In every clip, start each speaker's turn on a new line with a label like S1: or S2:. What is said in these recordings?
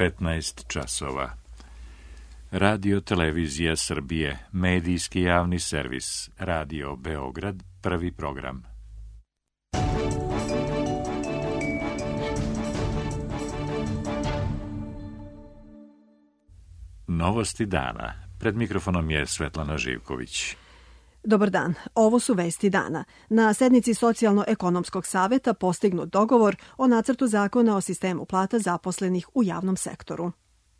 S1: 15 časova. Radio Televizija Srbije, medijski javni servis, Radio Beograd, prvi program. Novosti dana. Pred mikrofonom je Svetlana Živković.
S2: Dobar dan, ovo su vesti dana. Na sednici Socijalno-ekonomskog saveta postignut dogovor o nacrtu zakona o sistemu plata zaposlenih u javnom sektoru.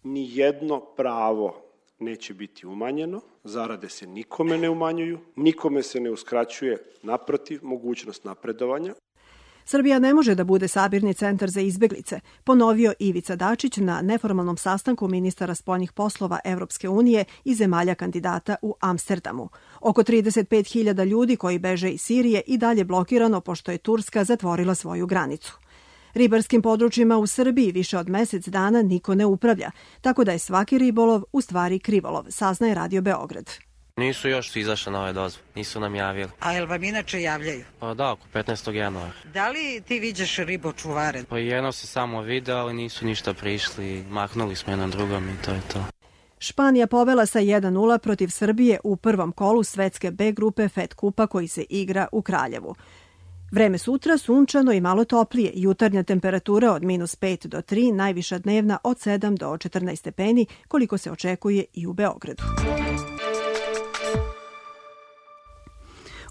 S3: Nijedno pravo neće biti umanjeno, zarade se nikome ne umanjuju, nikome se ne uskraćuje, naprotiv, mogućnost napredovanja.
S2: Srbija ne može da bude sabirni centar za izbeglice, ponovio Ivica Dačić na neformalnom sastanku ministara spoljnih poslova Evropske unije i zemalja kandidata u Amsterdamu. Oko 35.000 ljudi koji beže iz Sirije i dalje blokirano pošto je Turska zatvorila svoju granicu. Ribarskim područjima u Srbiji više od mesec dana niko ne upravlja, tako da je svaki ribolov u stvari krivolov, saznaje Radio Beograd.
S4: Nisu još izašle nove dozvole, nisu nam javili.
S5: A jel vam inače javljaju?
S4: Pa da, oko 15. januara.
S5: Da li ti viđaš ribočuvare?
S4: Pa jedno se samo video, ali nisu ništa prišli, maknuli smo jedan drugom i to je to.
S2: Španija povela sa 1-0 protiv Srbije u prvom kolu svetske B grupe FED kupa koji se igra u Kraljevu. Vreme sutra sunčano i malo toplije, jutarnja temperatura od -5 do 3, najviša dnevna od 7 do 14 stepeni, koliko se očekuje i u Beogradu.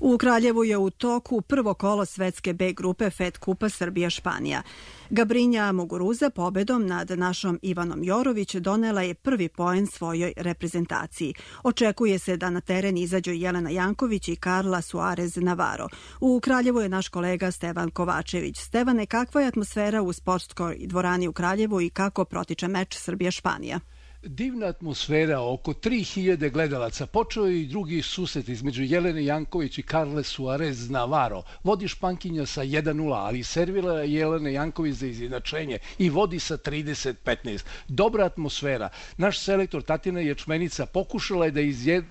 S2: U Kraljevu je u toku prvo kolo svetske B grupe FED kupa Srbija-Španija. Gabrinja Muguruza pobedom nad našom Ivanom Jorović donela je prvi poen svojoj reprezentaciji. Očekuje se da na teren izađu Jelena Janković i Karla Suarez Navarro. U Kraljevu je naš kolega Stevan Kovačević. Stevane, kakva je atmosfera u sportskoj dvorani u Kraljevu i kako protiče meč Srbija-Španija?
S6: Divna atmosfera, oko 3000 gledalaca. Počeo je i drugi susret između Jelene Janković i Karle Suarez Navarro. Vodi Špankinja sa 1-0, ali servila je Jelene Janković za izjednačenje i vodi sa 30-15. Dobra atmosfera. Naš selektor Tatjana Ječmenica pokušala je da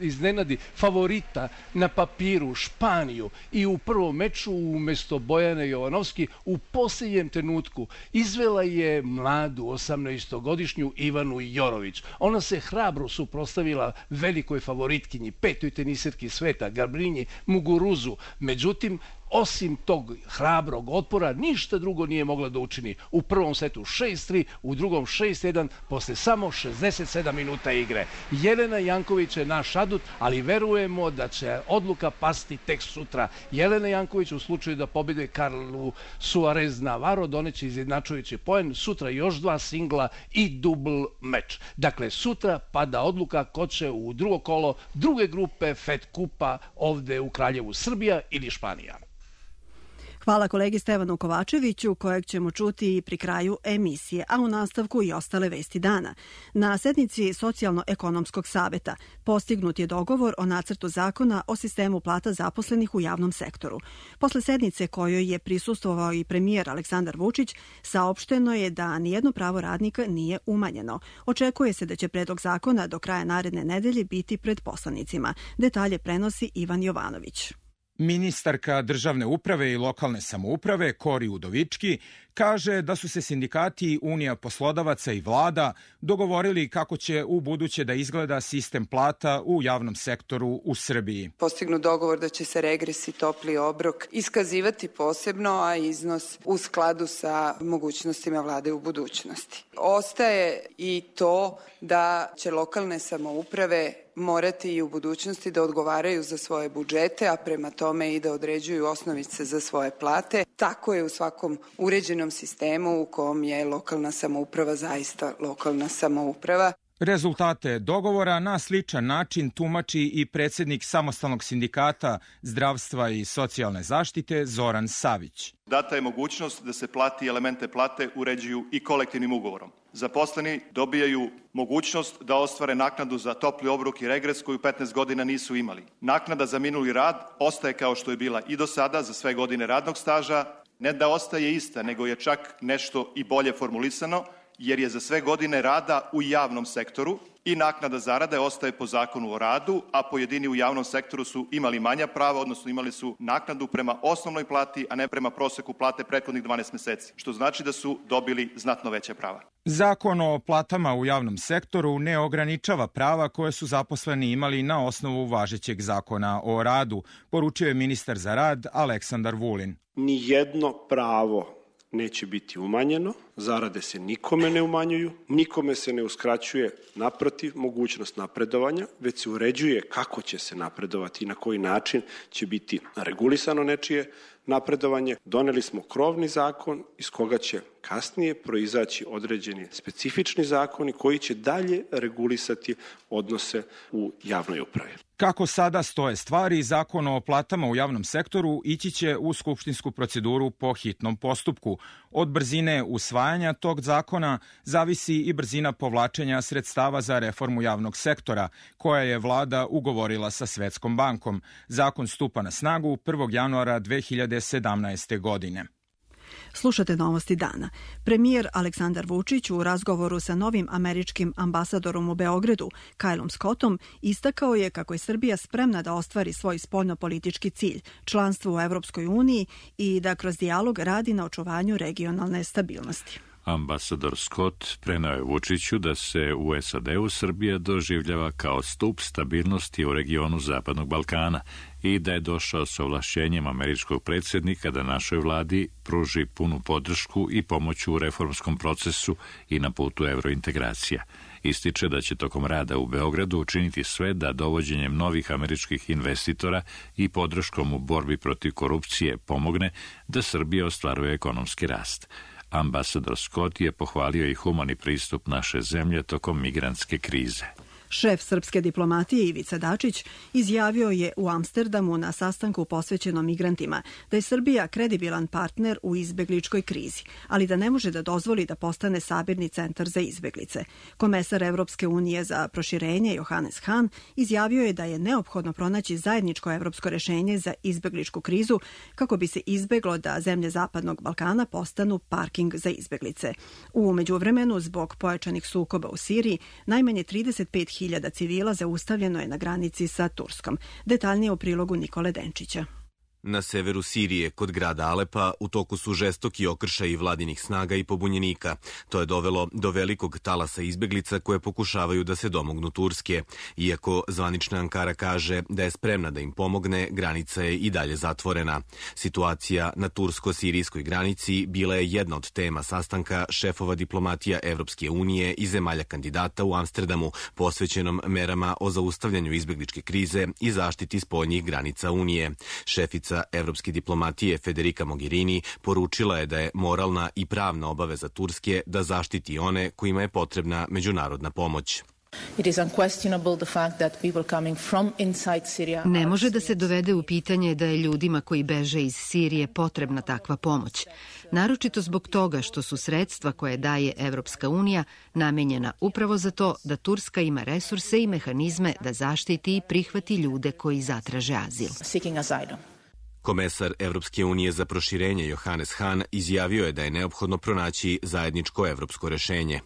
S6: iznenadi favorita na papiru Španiju i u prvom meču umesto Bojane Jovanovski u posljednjem trenutku izvela je mladu 18-godišnju Ivanu Jorović. Ona se hrabro suprotstavila velikoj favoritkinji, petoj teniserki sveta, Gabrinji Muguruzu. Međutim, osim tog hrabrog otpora, ništa drugo nije mogla da učini. U prvom setu 6-3, u drugom 6-1, posle samo 67 minuta igre. Jelena Janković je naš adut, ali verujemo da će odluka pasti tek sutra. Jelena Janković u slučaju da pobede Karlu Suarez Navarro doneće izjednačujući poen, sutra još 2 singla i dubl meč. Dakle, sutra pada odluka ko će u drugo kolo druge grupe FED kupa ovde u Kraljevu, Srbija ili Španija.
S2: Hvala kolegi Stevanu Kovačeviću, kojeg ćemo čuti i pri kraju emisije, a u nastavku i ostale vesti dana. Na sednici Socijalno-ekonomskog saveta postignut je dogovor o nacrtu zakona o sistemu plata zaposlenih u javnom sektoru. Posle sednice kojoj je prisustvovao i premijer Aleksandar Vučić, saopšteno je da nijedno pravo radnika nije umanjeno. Očekuje se da će predlog zakona do kraja naredne nedelje biti pred poslanicima. Detalje prenosi Ivan Jovanović.
S7: Ministarka državne uprave i lokalne samouprave Kori Udovički kaže da su se sindikati, Unija poslodavaca i vlada dogovorili kako će u buduće da izgleda sistem plata u javnom sektoru u Srbiji.
S8: Postignut dogovor da će se regres i topli obrok iskazivati posebno, a iznos u skladu sa mogućnostima vlade u budućnosti. Ostaje i to da će lokalne samouprave morati i u budućnosti da odgovaraju za svoje budžete, a prema tome i da određuju osnovice za svoje plate. Tako je u svakom uređenom sistemu u kom je lokalna samouprava zaista lokalna samouprava.
S7: Rezultate dogovora na sličan način tumači i predsjednik Samostalnog sindikata zdravstva i socijalne zaštite Zoran Savić.
S9: Data je mogućnost da se plati i elemente plate uređuju i kolektivnim ugovorom. Zaposleni dobijaju mogućnost da ostvare naknadu za topli obrok i regres koju 15 godina nisu imali. Naknada za minuli rad ostaje kao što je bila i do sada za sve godine radnog staža. Ne da ostaje ista, nego je čak nešto i bolje formulisano, jer je za sve godine rada u javnom sektoru I naknada zarade ostaje po zakonu o radu, a pojedini u javnom sektoru su imali manja prava, odnosno imali su naknadu prema osnovnoj plati, a ne prema proseku plate prethodnih 12 meseci, što znači da su dobili znatno veća prava.
S7: Zakon o platama u javnom sektoru ne ograničava prava koje su zaposleni imali na osnovu važećeg zakona o radu, poručio je ministar za rad Aleksandar Vulin.
S3: Nijedno pravo neće biti umanjeno, zarade se nikome ne umanjuju, nikome se ne uskraćuje, naprotiv, mogućnost napredovanja, već se uređuje kako će se napredovati i na koji način će biti regulisano nečije napredovanje. Doneli smo krovni zakon iz koga će kasnije proizaći određeni specifični zakoni koji će dalje regulisati odnose u javnoj upravi.
S7: Kako sada stoje stvari, zakon o platama u javnom sektoru ići će u skupštinsku proceduru po hitnom postupku. Od brzine usvajanja tog zakona zavisi i brzina povlačenja sredstava za reformu javnog sektora, koja je vlada ugovorila sa Svetskom bankom. Zakon stupa na snagu 1. januara 2017. godine.
S2: Slušate novosti dana. Premijer Aleksandar Vučić u razgovoru sa novim američkim ambasadorom u Beogradu, Kylom Scottom, istakao je kako je Srbija spremna da ostvari svoj spoljnopolitički cilj, članstvo u Evropskoj uniji i da kroz dijalog radi na očuvanju regionalne stabilnosti.
S1: Ambasador Scott preneo je Vučiću da se u SAD-u Srbija doživljava kao stup stabilnosti u regionu Zapadnog Balkana i da je došao sa ovlašćenjem američkog predsjednika da našoj vladi pruži punu podršku i pomoć u reformskom procesu i na putu evrointegracija. Ističe da će tokom rada u Beogradu učiniti sve da dovođenjem novih američkih investitora i podrškom u borbi protiv korupcije pomogne da Srbija ostvaruje ekonomski rast. Ambasador Scott je pohvalio i humani pristup naše zemlje tokom migrantske krize.
S2: Šef srpske diplomatije Ivica Dačić izjavio je u Amsterdamu na sastanku posvećenom migrantima da je Srbija kredibilan partner u izbegličkoj krizi, ali da ne može da dozvoli da postane sabirni centar za izbeglice. Komesar Evropske unije za proširenje Johannes Hahn izjavio je da je neophodno pronaći zajedničko evropsko rešenje za izbegličku krizu kako bi se izbeglo da zemlje Zapadnog Balkana postanu parking za izbeglice. U međuvremenu, zbog pojačanih sukoba u Siriji, najmanje 35.000 civila zaustavljeno je na granici sa Turskom. Detaljnije u prilogu Nikole Denčića.
S10: Na severu Sirije, kod grada Alepa, u toku su žestoki okršaji vladinih snaga i pobunjenika. To je dovelo do velikog talasa izbeglica koje pokušavaju da se domognu Turske. Iako zvanična Ankara kaže da je spremna da im pomogne, granica je i dalje zatvorena. Situacija na tursko-sirijskoj granici bila je jedna od tema sastanka šefova diplomatija Evropske unije i zemalja kandidata u Amsterdamu, posvećenom merama o zaustavljanju izbegličke krize i zaštiti spoljnih granica Unije. Šefica evropske diplomatije Federica Mogherini poručila je da je moralna i pravna obaveza Turske da zaštiti one kojima je potrebna međunarodna pomoć.
S11: Ne može da se dovede u pitanje da je ljudima koji beže iz Sirije potrebna takva pomoć. Naročito zbog toga što su sredstva koje daje Evropska unija namenjena upravo za to da Turska ima resurse i mehanizme da zaštiti i prihvati ljude koji zatraže azil.
S10: Komesar Evropske unije za proširenje Johannes Hahn izjavio je da je neophodno pronaći zajedničko evropsko rešenje.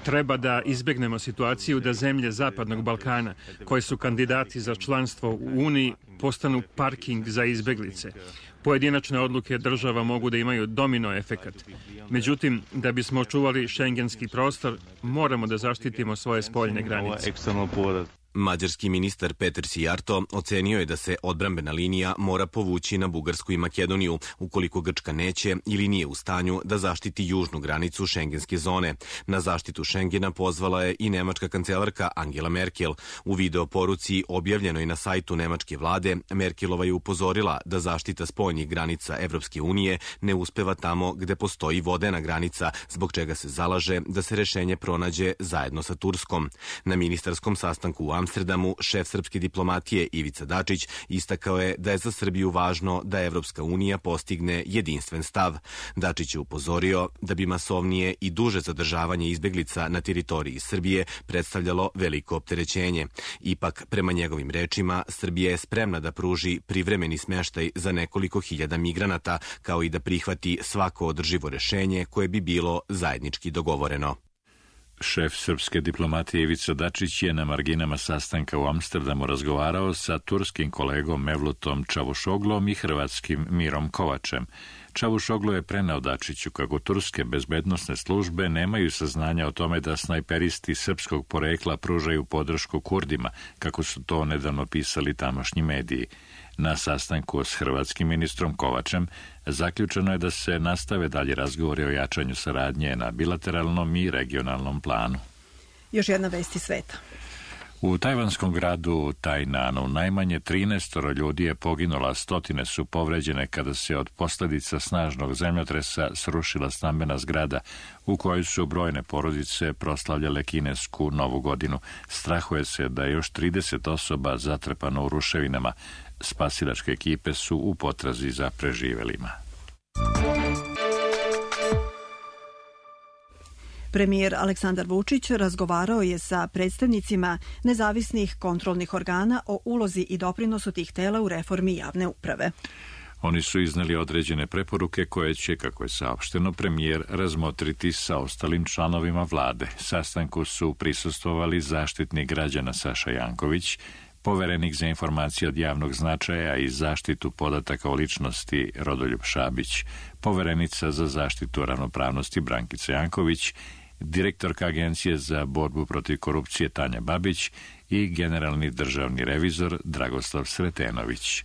S12: Treba da izbegnemo situaciju da zemlje Zapadnog Balkana, koje su kandidati za članstvo u Uniji, postanu parking za izbeglice. Pojedinačne odluke država mogu da imaju domino efekat. Međutim, da bismo očuvali šengenski prostor, moramo da zaštitimo svoje spoljne granice.
S10: Mađarski ministar Peter Sijarto ocenio je da se odbrambena linija mora povući na Bugarsku i Makedoniju, ukoliko Grčka neće ili nije u stanju da zaštiti južnu granicu šengenske zone. Na zaštitu Šengena pozvala je i nemačka kancelarka Angela Merkel. U video poruci objavljenoj na sajtu nemačke vlade, Merkelova je upozorila da zaštita spoljnih granica Evropske unije ne uspeva tamo gde postoji vodena granica, zbog čega se zalaže da se rešenje pronađe zajedno sa Turskom. Na ministarskom sastanku u Amsterdamu šef srpske diplomatije Ivica Dačić istakao je da je za Srbiju važno da Evropska unija postigne jedinstven stav. Dačić je upozorio da bi masovnije i duže zadržavanje izbeglica na teritoriji Srbije predstavljalo veliko opterećenje. Ipak, prema njegovim rečima, Srbija je spremna da pruži privremeni smeštaj za nekoliko hiljada migranata, kao i da prihvati svako održivo rešenje koje bi bilo zajednički dogovoreno.
S1: Šef srpske diplomatije Ivica Dačić je na marginama sastanka u Amsterdamu razgovarao sa turskim kolegom Mevlutom Čavušoglom i hrvatskim Mirom Kovačem. Čavušoglu je preneo Dačiću kako turske bezbednosne službe nemaju saznanja o tome da snajperisti srpskog porekla pružaju podršku Kurdima, kako su to nedavno pisali tamošnji mediji. Na sastanku s hrvatskim ministrom Kovačem zaključeno je da se nastave dalje razgovori o jačanju saradnje na bilateralnom i regionalnom planu.
S2: Još jedna vest iz sveta.
S1: U tajvanskom gradu Tajnanu najmanje 13 ljudi je poginulo, a stotine su povređene kada se od posljedica snažnog zemljotresa srušila stambena zgrada u kojoj su brojne porodice proslavljale kinesku novu godinu. Strahuje se da je još 30 osoba zatrpano u ruševinama. Spasilačke ekipe su u potrazi za preživelima.
S2: Premijer Aleksandar Vučić razgovarao je sa predstavnicima nezavisnih kontrolnih organa o ulozi i doprinosu tih tela u reformi javne uprave.
S1: Oni su izneli određene preporuke koje će, kako je saopšteno, premijer razmotriti sa ostalim članovima vlade. Sastanku su prisustvovali zaštitnik građana Saša Janković, poverenik za informacije od javnog značaja i zaštitu podataka o ličnosti Rodoljub Šabić, poverenica za zaštitu ravnopravnosti Brankica Janković, direktorka Agencije za borbu protiv korupcije Tanja Babić i generalni državni revizor Dragoslav Sretenović.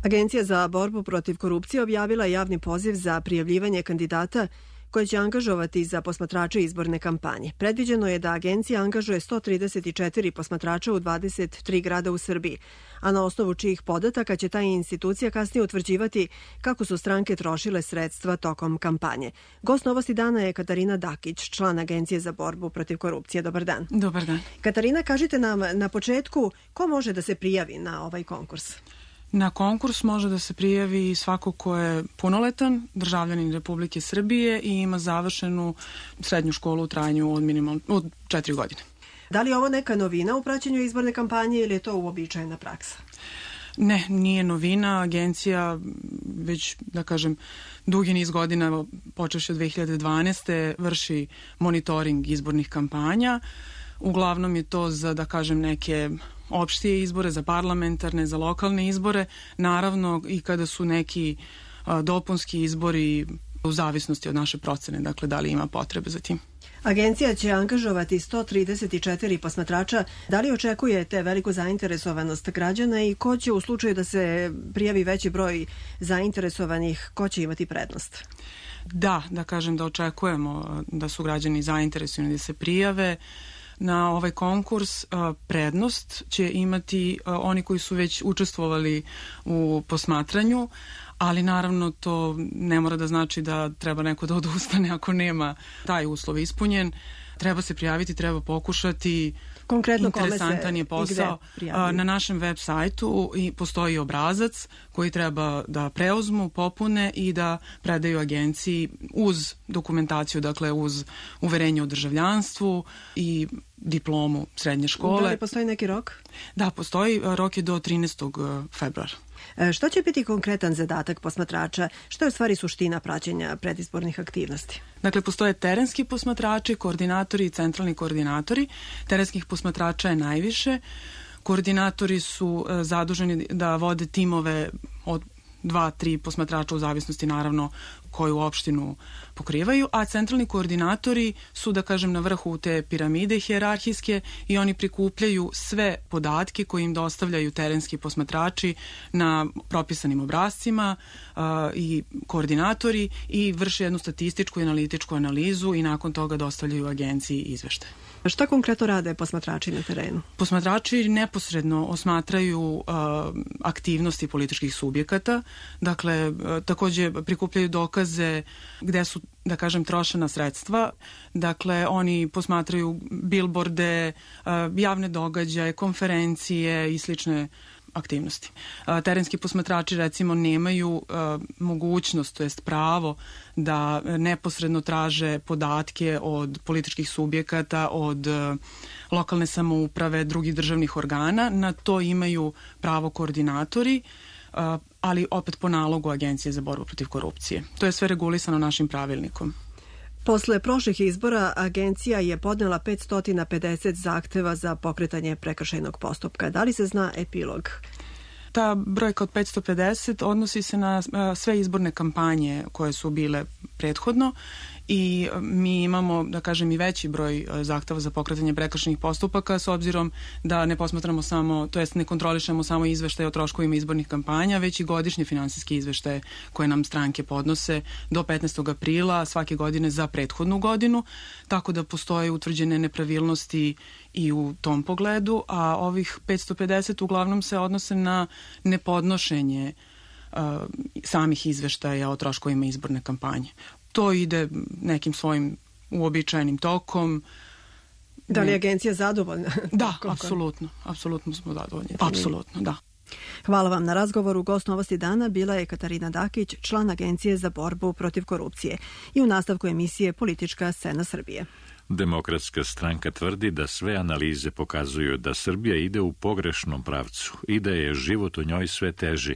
S2: Agencija za borbu protiv korupcije objavila javni poziv za prijavljivanje kandidata koje će angažovati za posmatrače izborne kampanje. Predviđeno je da agencija angažuje 134 posmatrača u 23 grada u Srbiji, a na osnovu čijih podataka će ta institucija kasnije utvrđivati kako su stranke trošile sredstva tokom kampanje. Gost Novosti dana je Katarina Dakić, član Agencije za borbu protiv korupcije. Dobar dan.
S13: Dobar dan.
S2: Katarina, kažite nam na početku ko može da se prijavi na ovaj konkurs?
S13: Na konkurs može da se prijavi svako ko je punoletan, državljanin Republike Srbije i ima završenu srednju školu u trajanju od 4 godine.
S2: Da li je ovo neka novina u praćenju izborne kampanje ili je to uobičajena praksa?
S13: Ne, nije novina. Agencija već, da kažem, dugi niz godina, počevši od 2012. vrši monitoring izbornih kampanja. Uglavnom je to za, da kažem, neke opštije izbore, za parlamentarne, za lokalne izbore, naravno i kada su neki dopunski izbori u zavisnosti od naše procene, dakle da li ima potrebe za tim.
S2: Agencija će angažovati 134 posmatrača. Da li očekujete veliku zainteresovanost građana i ko će u slučaju da se prijavi veći broj zainteresovanih, ko će imati prednost?
S13: Da kažem da očekujemo da su građani zainteresovani da se prijave. Na ovaj konkurs prednost će imati oni koji su već učestvovali u posmatranju, ali naravno to ne mora da znači da treba neko da odustane ako nema taj uslov ispunjen. Treba se prijaviti, treba pokušati.
S2: Konkretno
S13: interesantan je posao. Na našem web sajtu postoji obrazac koji treba da preuzmu, popune i da predaju agenciji uz dokumentaciju, dakle uz uverenje o državljanstvu i diplomu srednje škole.
S2: Da li postoji neki rok?
S13: Da, postoji. Rok je do 13. februara.
S2: Što će biti konkretan zadatak posmatrača? Što je u stvari suština praćenja predizbornih aktivnosti?
S13: Dakle, postoje terenski posmatrači, koordinatori i centralni koordinatori. Terenskih posmatrača je najviše. Koordinatori su zaduženi da vode timove od 2-3 posmatrača u zavisnosti naravno koju opštinu pokrivaju, a centralni koordinatori su, da kažem, na vrhu te piramide hijerarhijske i oni prikupljaju sve podatke koje im dostavljaju terenski posmatrači na propisanim obrascima i koordinatori i vrše jednu statističku i analitičku analizu i nakon toga dostavljaju agenciji izveštaje.
S2: Šta konkretno rade posmatrači na terenu?
S13: Posmatrači neposredno osmatraju aktivnosti političkih subjekata, dakle takođe prikupljaju dokaze gde su, da kažem, trošena sredstva, dakle oni posmatraju bilborde, javne događaje, konferencije i slične aktivnosti. Terenski posmatrači recimo nemaju mogućnost, to jest pravo da neposredno traže podatke od političkih subjekata, od lokalne samouprave, drugih državnih organa. Na to imaju pravo koordinatori, ali opet po nalogu Agencije za borbu protiv korupcije. To je sve regulisano našim pravilnikom.
S2: Posle prošlih izbora agencija je podnela 550 zahteva za pokretanje prekršajnog postupka. Da li se zna epilog?
S13: Ta brojka od 550 odnosi se na sve izborne kampanje koje su bile prethodno i mi imamo, da kažem, i veći broj zahteva za pokretanje prekršajnih postupaka s obzirom da ne posmatramo samo, to jest ne kontrolišemo samo izveštaje o troškovima izbornih kampanja, već i godišnje finansijske izveštaje koje nam stranke podnose do 15. aprila svake godine za prethodnu godinu, tako da postoje utvrđene nepravilnosti i u tom pogledu, a ovih 550 uglavnom se odnose na nepodnošenje samih izveštaja o troškovima izborne kampanje. To ide nekim svojim uobičajenim tokom.
S2: Da li je agencija zadovoljna?
S13: Da, apsolutno smo zadovoljni. Apsolutno, da.
S2: Hvala vam na razgovoru. Gost Novosti dana bila je Katarina Dakić, član Agencije za borbu protiv korupcije. I u nastavku emisije Politička scena Srbije.
S1: Demokratska stranka tvrdi da sve analize pokazuju da Srbija ide u pogrešnom pravcu i da je život u njoj sve teži.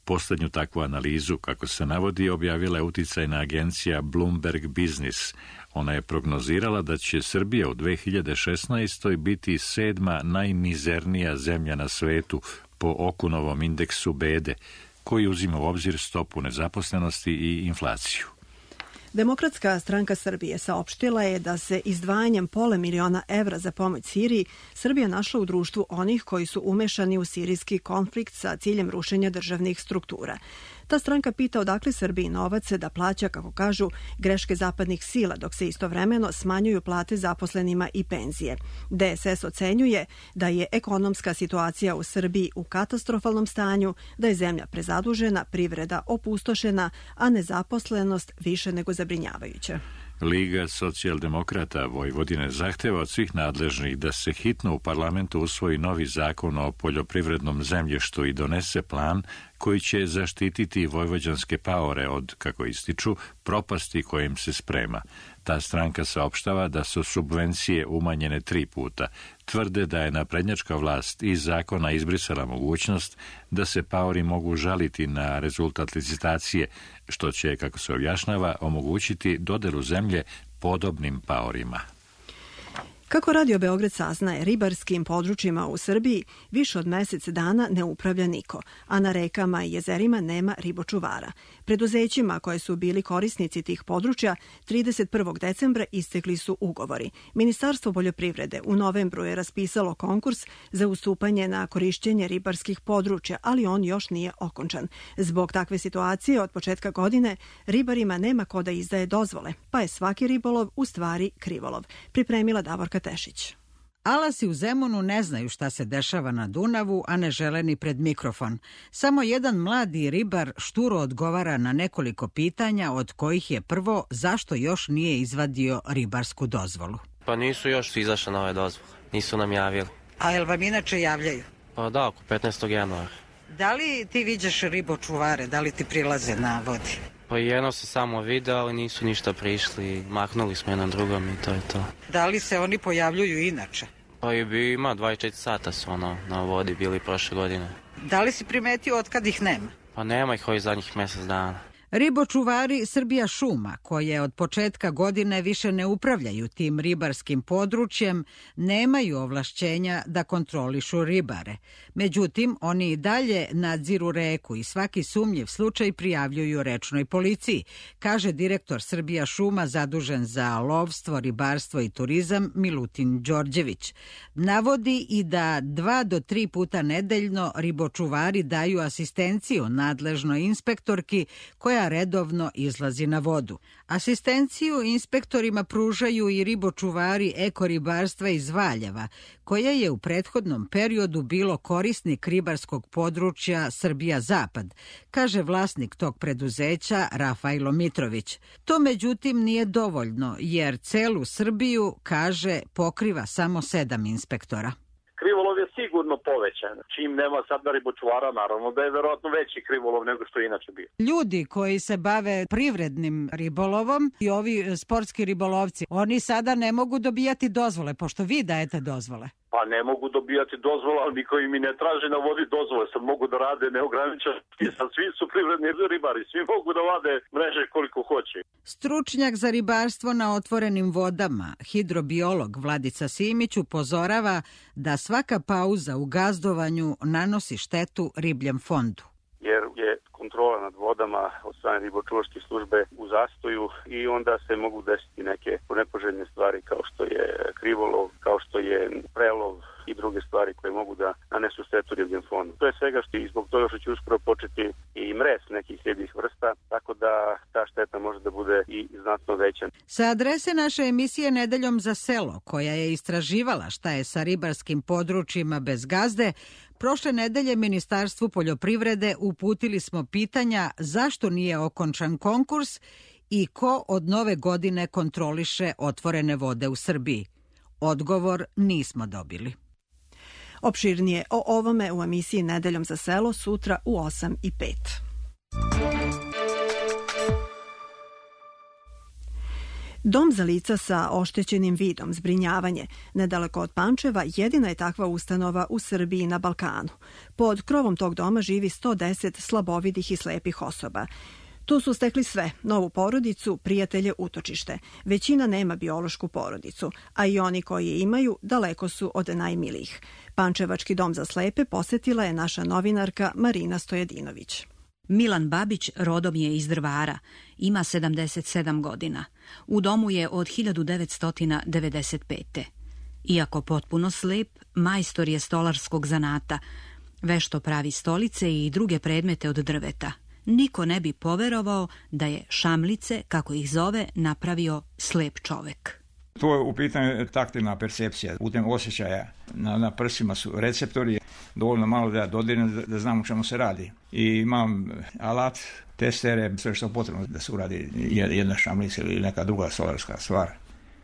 S1: Poslednju takvu analizu, kako se navodi, objavila je uticajna agencija Bloomberg Business. Ona je prognozirala da će Srbija u 2016. biti 7. najmizernija zemlja na svetu po Okunovom indeksu bede, koji uzima u obzir stopu nezaposlenosti i inflaciju.
S2: Demokratska stranka Srbije saopštila je da se izdvajanjem $500 miliona za pomoć Siriji Srbija našla u društvu onih koji su umešani u sirijski konflikt sa ciljem rušenja državnih struktura. Ta stranka pita odakle Srbiji novac da plaća, kako kažu, greške zapadnih sila, dok se istovremeno smanjuju plate zaposlenima i penzije. DSS ocenjuje da je ekonomska situacija u Srbiji u katastrofalnom stanju, da je zemlja prezadužena, privreda opustošena, a nezaposlenost više nego zabrinjavajuća.
S1: Liga socijaldemokrata Vojvodine zahteva od svih nadležnih da se hitno u parlamentu usvoji novi zakon o poljoprivrednom zemljištu i donese plan koji će zaštititi vojvođanske paore od, kako ističu, propasti kojim se sprema. Ta stranka saopštava da su subvencije umanjene 3 puta. Tvrde da je naprednjačka vlast iz zakona izbrisala mogućnost da se paori mogu žaliti na rezultat licitacije, što će, kako se objašnjava, omogućiti dodelu zemlje podobnim paorima.
S2: Kako Radio Beograd saznaje, ribarskim područjima u Srbiji više od mesec dana ne upravlja niko, a na rekama i jezerima nema ribočuvara. Preduzećima koje su bili korisnici tih područja 31. decembra istekli su ugovori. Ministarstvo poljoprivrede u novembru je raspisalo konkurs za ustupanje na korišćenje ribarskih područja, ali on još nije okončan. Zbog takve situacije od početka godine ribarima nema ko da izdaje dozvole, pa je svaki ribolov u stvari krivolov. Pripremila Davorka Tešić.
S14: Alasi u Zemunu ne znaju šta se dešava na Dunavu, a ne žele ni pred mikrofon. Samo jedan mladi ribar šturo odgovara na nekoliko pitanja, od kojih je prvo zašto još nije izvadio ribarsku dozvolu.
S4: Pa nisu još izašle nove dozvole, nisu nam javili.
S5: A jel vam inače javljaju?
S4: Pa da, oko 15. januara.
S5: Da li ti viđaš ribočuvare, da li ti prilaze na vodi?
S4: Pa jedno se samo video, ali nisu ništa prišli, maknuli smo jedan drugom i to je to.
S5: Da li se oni pojavljuju inače?
S4: Pa ima 24 sata su na vodi bili prošle godine.
S5: Da li si primetio od kad ih nema?
S4: Pa nema ih ovih zadnjih mjesec dana.
S14: Ribočuvari Srbija šuma, koje od početka godine više ne upravljaju tim ribarskim područjem, nemaju ovlašćenja da kontrolišu ribare. Međutim, oni i dalje nadziru reku i svaki sumnjiv slučaj prijavljuju rečnoj policiji, kaže direktor Srbija šuma zadužen za lovstvo, ribarstvo i turizam Milutin Đorđević. Navodi i da 2 do 3 puta nedeljno ribočuvari daju asistenciju nadležnoj inspektorki koja redovno izlazi na vodu. Asistenciju inspektorima pružaju i ribočuvari ekoribarstva iz Valjeva, koje je u prethodnom periodu bilo korisnik ribarskog područja Srbija Zapad, kaže vlasnik tog preduzeća Rafajlo Mitrović. To međutim nije dovoljno, jer celu Srbiju, kaže, pokriva samo 7 inspektora.
S15: Krivolov je sigurno povećan. Čim nema sad ribočuvara, naravno da je verovatno veći krivolov nego što je inače bio.
S14: Ljudi koji se bave privrednim ribolovom i ovi sportski ribolovci, oni sada ne mogu dobijati dozvole, pošto vi dajete dozvole.
S15: Pa ne mogu dobijati dozvola, ali niko im i ne traži na vodi dozvole. Sad mogu da rade neograničeno. Svi su privredni ribari, svi mogu da vade mreže koliko hoće.
S14: Stručnjak za ribarstvo na otvorenim vodama, hidrobiolog Vladica Simić, upozorava da svaka pauza u gazdovanju nanosi štetu ribljem fondu.
S16: Jer je kontrola nad vodama od strane ribočuvarske službe u zastoju i onda se mogu desiti neke nepoželjne stvari kao što je krivolov, kao što je prelov i druge stvari koje mogu da nanesu štetu ribljem fondu. To je svega što i zbog toga što će uskoro početi i mrez nekih ribljih vrsta, tako da ta šteta može da bude i znatno veća.
S14: Sa adrese naše emisije Nedeljom za selo, koja je istraživala šta je sa ribarskim područjima bez gazde, prošle nedelje Ministarstvu poljoprivrede uputili smo pitanja zašto nije okončan konkurs i ko od nove godine kontroliše otvorene vode u Srbiji. Odgovor nismo dobili.
S2: Opširnije o ovome u emisiji Nedeljom za selo sutra u 8:05. Dom za lica sa oštećenim vidom, zbrinjavanje, nedaleko od Pančeva, jedina je takva ustanova u Srbiji i na Balkanu. Pod krovom tog doma živi 110 slabovidih i slepih osoba. Tu su stekli sve, novu porodicu, prijatelje, utočište. Većina nema biološku porodicu, a i oni koji je imaju daleko su od najmilijih. Pančevački dom za slepe posetila je naša novinarka Marina Stojadinović.
S17: Milan Babić rodom je iz Drvara, ima 77 godina. U domu je od 1995. Iako potpuno slep, majstor je stolarskog zanata. Vešto pravi stolice i druge predmete od drveta. Niko ne bi poverovao da je šamlice, kako ih zove, napravio slep čovek.
S18: To je u pitanju taktilna percepcija, putem osjećaja. Na prsima su receptori, dovoljno malo da ja dodirnem da znam o čemu se radi. I imam alat, testere, sve što je potrebno da se uradi jedna šamlica ili neka druga solarska stvar.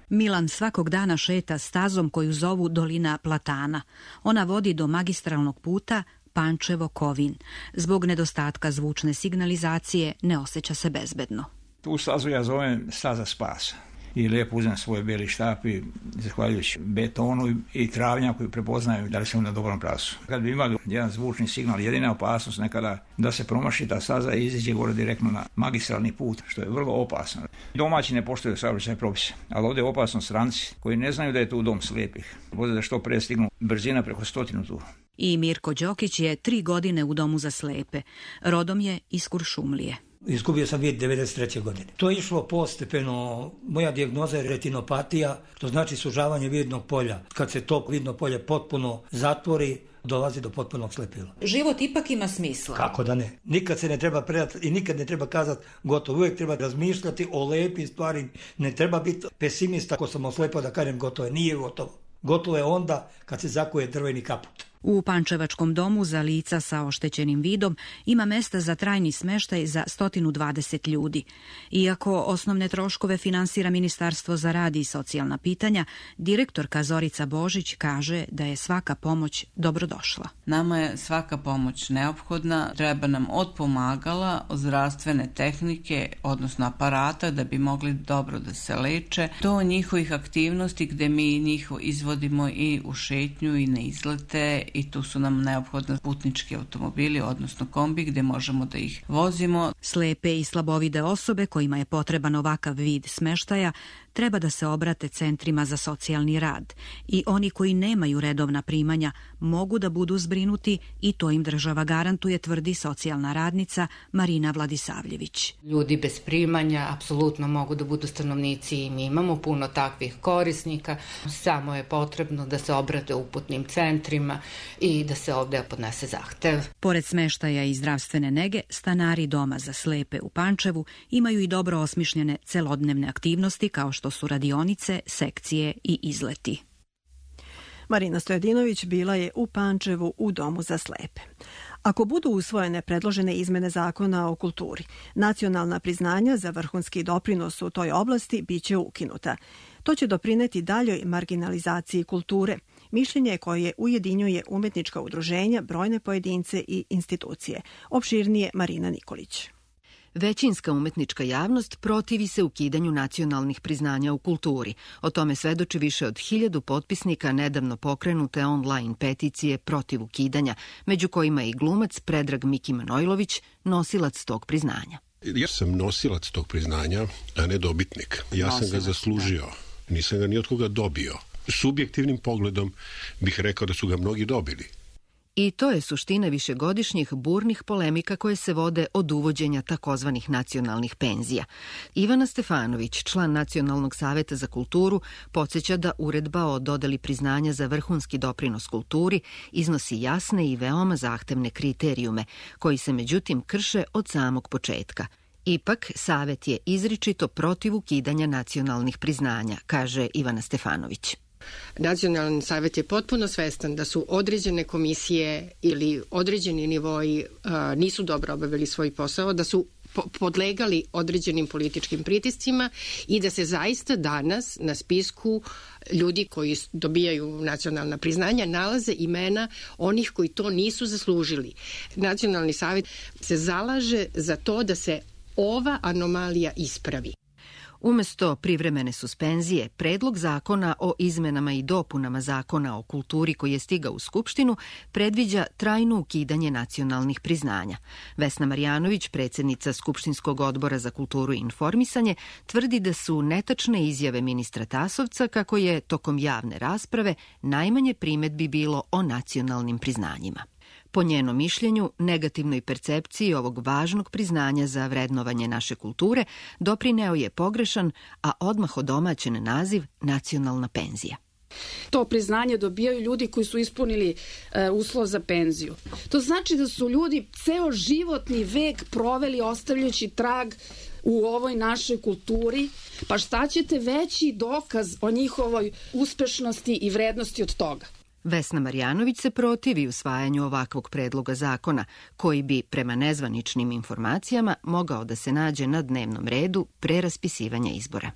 S17: Milan svakog dana šeta stazom koju zovu Dolina Platana. Ona vodi do magistralnog puta Pančevo-Kovin. Zbog nedostatka zvučne signalizacije ne osjeća se bezbedno.
S18: Tu stazu ja zovem staza spasa. I lijepo uzem svoj beli štap i zahvaljujući betonu i travnjaku prepoznaju da li sam na dobrom pravcu. Kad bi imali jedan zvučni signal, jedina opasnost nekada da se promaši ta staza i iziđe gore direktno na magistralni put, što je vrlo opasno. Domaći ne poštuju saobraćajne propise, ali ovdje je opasno stranci koji ne znaju da je tu dom slijepih. Vode da što pre stignu, brzina preko 100 tu.
S17: I Mirko Đokić je 3 godine u domu za slepe. Rodom je iz Kuršumlije.
S19: Izgubio sam vid 93. godine. To je išlo postepeno. Moja dijagnoza je retinopatija, to znači sužavanje vidnog polja. Kad se to vidno polje potpuno zatvori, dolazi do potpunog slepila.
S17: Život ipak ima smisla.
S19: Kako da ne? Nikad se ne treba predati i nikad ne treba kazati gotovo. Uvijek treba razmišljati o lepim stvari. Ne treba biti pesimista ako sam oslepao da kažem gotovo je. Nije gotovo. Gotovo je onda kad se zakuje drveni kaput.
S17: U Pančevačkom domu za lica sa oštećenim vidom ima mesta za trajni smeštaj za 120 ljudi. Iako osnovne troškove finansira Ministarstvo za rad i socijalna pitanja, direktorka Zorica Božić kaže da je svaka pomoć dobrodošla.
S20: Nama je svaka pomoć neophodna, treba nam od pomagala, od zdravstvene tehnike, odnosno aparata da bi mogli dobro da se leče, do njihovih aktivnosti gde mi njih izvodimo i u šetnju i na izlete, i tu su nam neophodni putnički automobili, odnosno kombi, gde možemo da ih vozimo.
S17: Slepe i slabovide osobe kojima je potreban ovakav vid smeštaja treba da se obrate centrima za socijalni rad i oni koji nemaju redovna primanja mogu da budu zbrinuti i to im država garantuje, tvrdi socijalna radnica Marina Vladisavljević.
S21: Ljudi bez primanja apsolutno mogu da budu stanovnici i mi imamo puno takvih korisnika, samo je potrebno da se obrate uputnim centrima i da se ovde podnese zahtev.
S17: Pored smeštaja i zdravstvene nege, stanari doma za slepe u Pančevu imaju i dobro osmišljene celodnevne aktivnosti kao što su radionice, sekcije i izleti.
S2: Marina Stojadinović bila je u Pančevu u domu za slepe. Ako budu usvojene predložene izmene zakona o kulturi, nacionalna priznanja za vrhunski doprinos u toj oblasti biće ukinuta. To će doprineti daljoj marginalizaciji kulture, mišljenje koje ujedinjuje umetnička udruženja, brojne pojedince i institucije. Opširnije Marina Nikolić.
S11: Većinska umetnička javnost protivi se ukidanju nacionalnih priznanja u kulturi. O tome svedoči više od 1000 potpisnika nedavno pokrenute online peticije protiv ukidanja, među kojima je i glumac Predrag Miki Manojlović, nosilac tog priznanja.
S6: Ja sam nosilac tog priznanja, a ne dobitnik. Ja sam ga zaslužio. Nisam ga ni od koga dobio. Subjektivnim pogledom bih rekao da su ga mnogi dobili.
S11: I to je suština višegodišnjih burnih polemika koje se vode od uvođenja takozvanih nacionalnih penzija. Ivana Stefanović, član Nacionalnog saveta za kulturu, podsjeća da uredba o dodeli priznanja za vrhunski doprinos kulturi iznosi jasne i veoma zahtevne kriterijume, koji se međutim krše od samog početka. Ipak, Savet je izričito protiv ukidanja nacionalnih priznanja, kaže Ivana Stefanović.
S22: Nacionalni savjet je potpuno svestan da su određene komisije ili određeni nivoji nisu dobro obavili svoj posao, da su podlegali određenim političkim pritiscima i da se zaista danas na spisku ljudi koji dobijaju nacionalna priznanja nalaze imena onih koji to nisu zaslužili. Nacionalni savjet se zalaže za to da se ova anomalija ispravi.
S11: Umesto privremene suspenzije, predlog zakona o izmenama i dopunama zakona o kulturi koji je stigao u Skupštinu predviđa trajno ukidanje nacionalnih priznanja. Vesna Marjanović, predsjednica Skupštinskog odbora za kulturu i informisanje, tvrdi da su netačne izjave ministra Tasovca kako je tokom javne rasprave najmanje primedbi bilo o nacionalnim priznanjima. Po njenom mišljenju, negativnoj percepciji ovog važnog priznanja za vrednovanje naše kulture doprineo je pogrešan, a odmah odomaćen naziv nacionalna penzija.
S23: To priznanje dobijaju ljudi koji su ispunili uslov za penziju. To znači da su ljudi ceo životni vek proveli ostavljajući trag u ovoj našoj kulturi, pa šta ćete veći dokaz o njihovoj uspešnosti i vrednosti od toga?
S11: Vesna Marjanović se protivi usvajanju ovakvog predloga zakona, koji bi, prema nezvaničnim informacijama, mogao da se nađe na dnevnom redu pre raspisivanja izbora.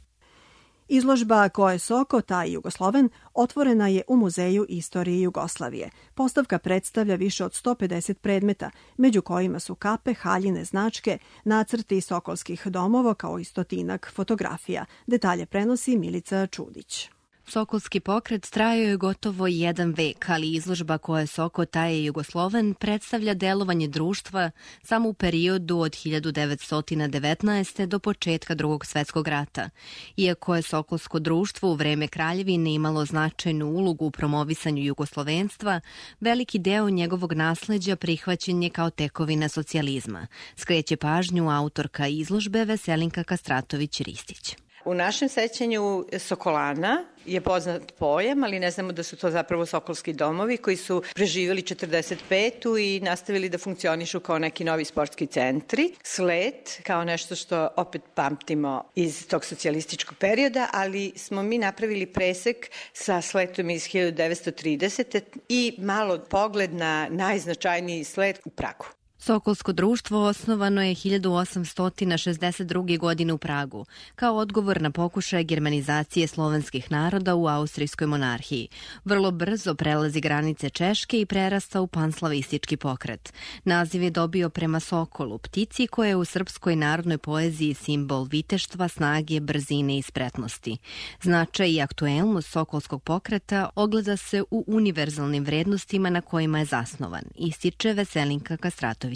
S2: Izložba Ko je Soko, taj Jugosloven otvorena je u Muzeju istorije Jugoslavije. Postavka predstavlja više od 150 predmeta, među kojima su kape, haljine, značke, nacrti sokolskih domova kao i 100 fotografija. Detalje prenosi Milica Čudić.
S24: Sokolski pokret trajao je gotovo 1 vek, ali izložba Ko je Soko, taj je Jugosloven predstavlja delovanje društva samo u periodu od 1919. do početka Drugog svetskog rata. Iako je Sokolsko društvo u vreme Kraljevine imalo značajnu ulogu u promovisanju jugoslovenstva, veliki deo njegovog nasleđa prihvaćen je kao tekovina socijalizma, skreće pažnju autorka izložbe Veselinka Kastratović-Ristić.
S25: U našem sećanju Sokolana je poznat pojam, ali ne znamo da su to zapravo sokolski domovi koji su preživjeli 45. i nastavili da funkcionišu kao neki novi sportski centri. Slet kao nešto što opet pamtimo iz tog socijalističkog perioda, ali smo mi napravili presek sa sletom iz 1930. i malo pogled na najznačajniji slet u Pragu.
S24: Sokolsko društvo osnovano je 1862. godine u Pragu, kao odgovor na pokušaje germanizacije slovenskih naroda u austrijskoj monarhiji. Vrlo brzo prelazi granice Češke i prerasta u panslavistički pokret. Naziv je dobio prema sokolu, ptici koja je u srpskoj narodnoj poeziji simbol viteštva, snage, brzine i spretnosti. Značaj i aktuelnost sokolskog pokreta ogleda se u univerzalnim vrednostima na kojima je zasnovan, ističe Veselinka Kastratović.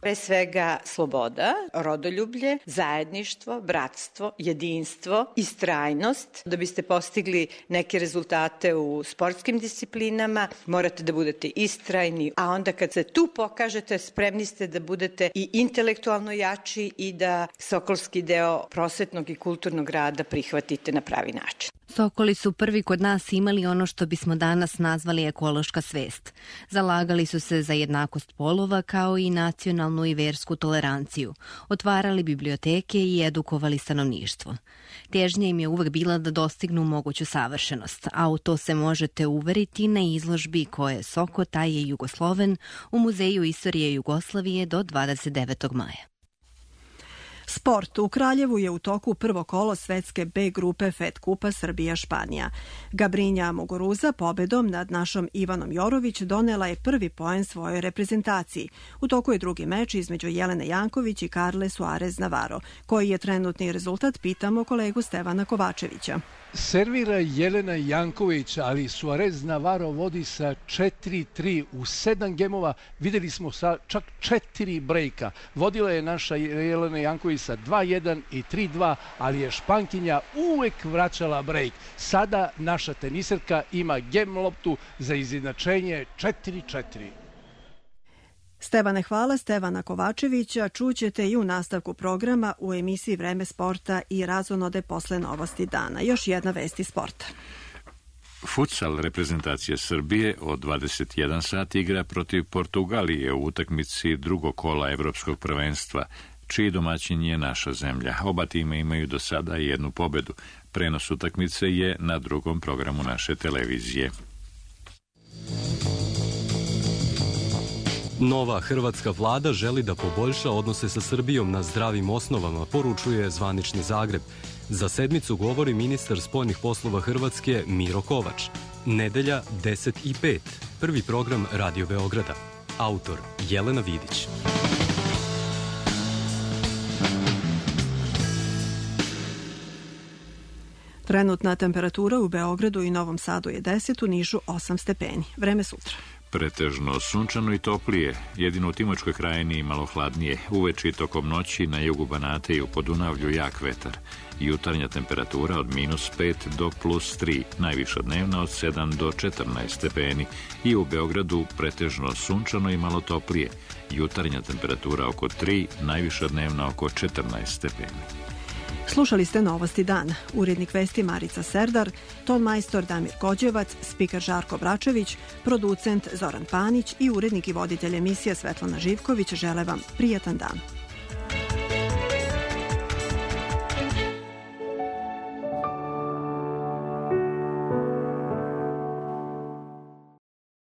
S25: Pre svega sloboda, rodoljublje, zajedništvo, bratstvo, jedinstvo, istrajnost. Da biste postigli neke rezultate u sportskim disciplinama, morate da budete istrajni, a onda kad se tu pokažete, spremni ste da budete i intelektualno jači i da sokolski deo prosvetnog i kulturnog rada prihvatite na pravi način.
S24: Sokoli su prvi kod nas imali ono što bismo danas nazvali ekološka svest. Zalagali su se za jednakost polova kao i nacionalnu i versku toleranciju. Otvarali biblioteke i edukovali stanovništvo. Težnja im je uvek bila da dostignu moguću savršenost, a u to se možete uveriti na izložbi Ko je Soko, taj je Jugosloven u Muzeju istorije Jugoslavije do 29. maja.
S2: Sport. U Kraljevu je u toku prvo kolo svetske B grupe FED kupa Srbija-Španija. Gabrinja Muguruza pobedom nad našom Ivanom Jorović donela je prvi poen svojoj reprezentaciji. U toku je drugi meč između Jelene Janković i Karle Suarez Navarro. Koji je trenutni rezultat, pitamo kolegu Stevana Kovačevića.
S3: Servira Jelena Janković, ali Suarez Navarro vodi sa 4-3 u 7 gemova. Videli smo sa čak 4 brejka. Vodila je naša Jelena Janković sa 2-1 i 3-2, ali je Špankinja uvek vraćala brejk. Sada naša teniserka ima gem loptu za izjednačenje 4-4.
S2: Stevane, hvala. Stevana Kovačevića čućete i u nastavku programa u emisiji Vreme sporta i razonode posle novosti dana. Još jedna vest iz sporta.
S1: Futsal reprezentacije Srbije od 21 sat igra protiv Portugalije u utakmici drugog kola Evropskog prvenstva, čiji domaćin je naša zemlja. Oba tima imaju do sada jednu pobedu. Prenos utakmice je na drugom programu naše televizije.
S7: Nova hrvatska vlada želi da poboljša odnose sa Srbijom na zdravim osnovama, poručuje zvanični Zagreb. Za sedmicu govori ministar spoljnih poslova Hrvatske Miro Kovač. Nedelja 10:05. Prvi program Radio Beograda. Autor Jelena Vidić.
S2: Trenutna temperatura u Beogradu i Novom Sadu je 10, u Nišu 8 stepeni. Vreme sutra.
S1: Pretežno sunčano i toplije, jedino u Timočkoj krajini malo hladnije. Uveče i tokom noći na jugu Banata i u Podunavlju jak vetar. Jutarnja temperatura od -5 do +3, najviša dnevna od 7 do 14 stepeni. I u Beogradu pretežno sunčano i malo toplije. Jutarnja temperatura oko 3, najviša dnevna oko 14 stepeni.
S2: Slušali ste novosti dana. Urednik vesti Marica Serdar, ton majstor Damir Kođevac, spiker Žarko Bračević, producent Zoran Panić i urednik i voditelj emisije Svetlana Živković žele vam prijatan dan.